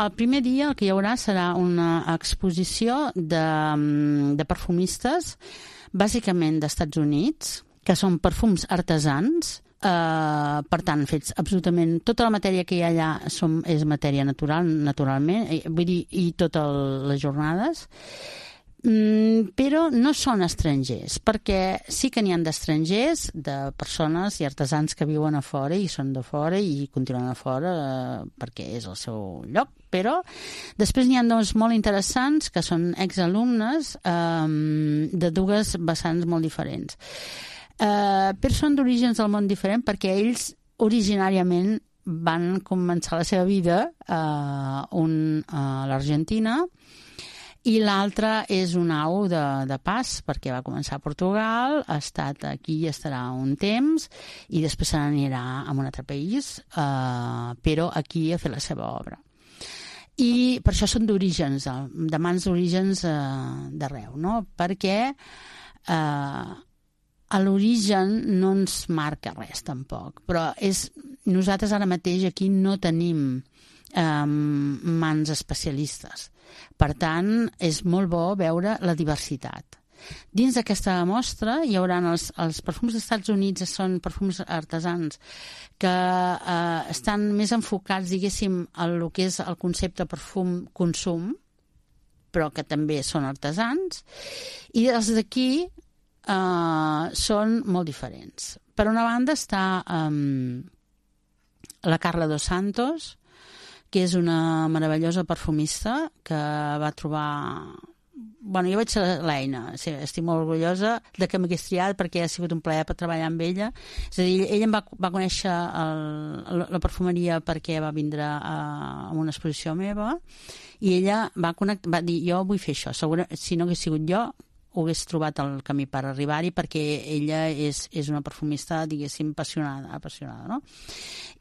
el primer dia el que hi haurà serà una exposició de perfumistes, bàsicament d'Estats Units, que són perfums artesans, per tant, fets absolutament... Tota la matèria que hi ha allà és matèria natural, naturalment, vull dir, i totes les jornades, però no són estrangers, perquè sí que n'hi ha d'estrangers, de persones i artesans que viuen a fora i són de fora i continuen a fora perquè és el seu lloc, però després n'hi ha dos molt interessants que són exalumnes de dues vessants molt diferents. Però són d'orígens del món diferent perquè ells originàriament van començar la seva vida a l'Argentina i l'altre és un au de pas perquè va començar a Portugal, ha estat aquí i estarà un temps i després se n'anirà a un altre país, però aquí a fer la seva obra. I per això són d'orígens, de mans d'orígens d'arreu, no? Perquè a l'origen no ens marca res tampoc, però nosaltres ara mateix aquí no tenim mans especialistes. Per tant, és molt bo veure la diversitat. Dins d'aquesta mostra hi haurà els perfums dels Estats Units, són perfums artesans que estan més enfocats, diguéssim, en el que és el concepte perfum-consum, però que també són artesans, i els d'aquí són molt diferents. Per una banda està la Carla Dos Santos, que és una meravellosa perfumista que va trobar... Bueno, jo vaig ser l'Eina, sí, estic molt orgullosa de que m'hagués triat perquè ha sigut un plaer per treballar amb ella. És a dir, ella em va conèixer la perfumeria perquè va vindre a una exposició meva i ella va dir, jo vull fer això. Si no hagués sigut jo, ho hagués trobat el camí per arribar-hi perquè ella és una perfumista, diguéssim, apassionada, no?